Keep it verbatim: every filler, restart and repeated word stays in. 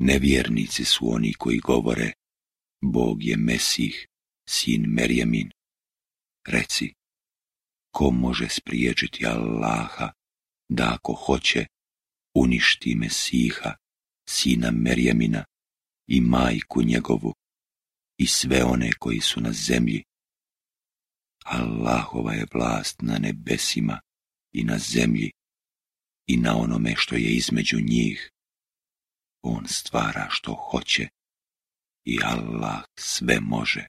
Nevjernici su oni koji govore, Bog je Mesih, sin Merjemin. Reci, ko može spriječiti Allaha da ako hoće uništi Mesiha, sina Merjemina i majku njegovu i sve one koji su na zemlji? Allahova je vlast na nebesima i na zemlji i na onome što je između njih. On stvara što hoće i Allah sve može.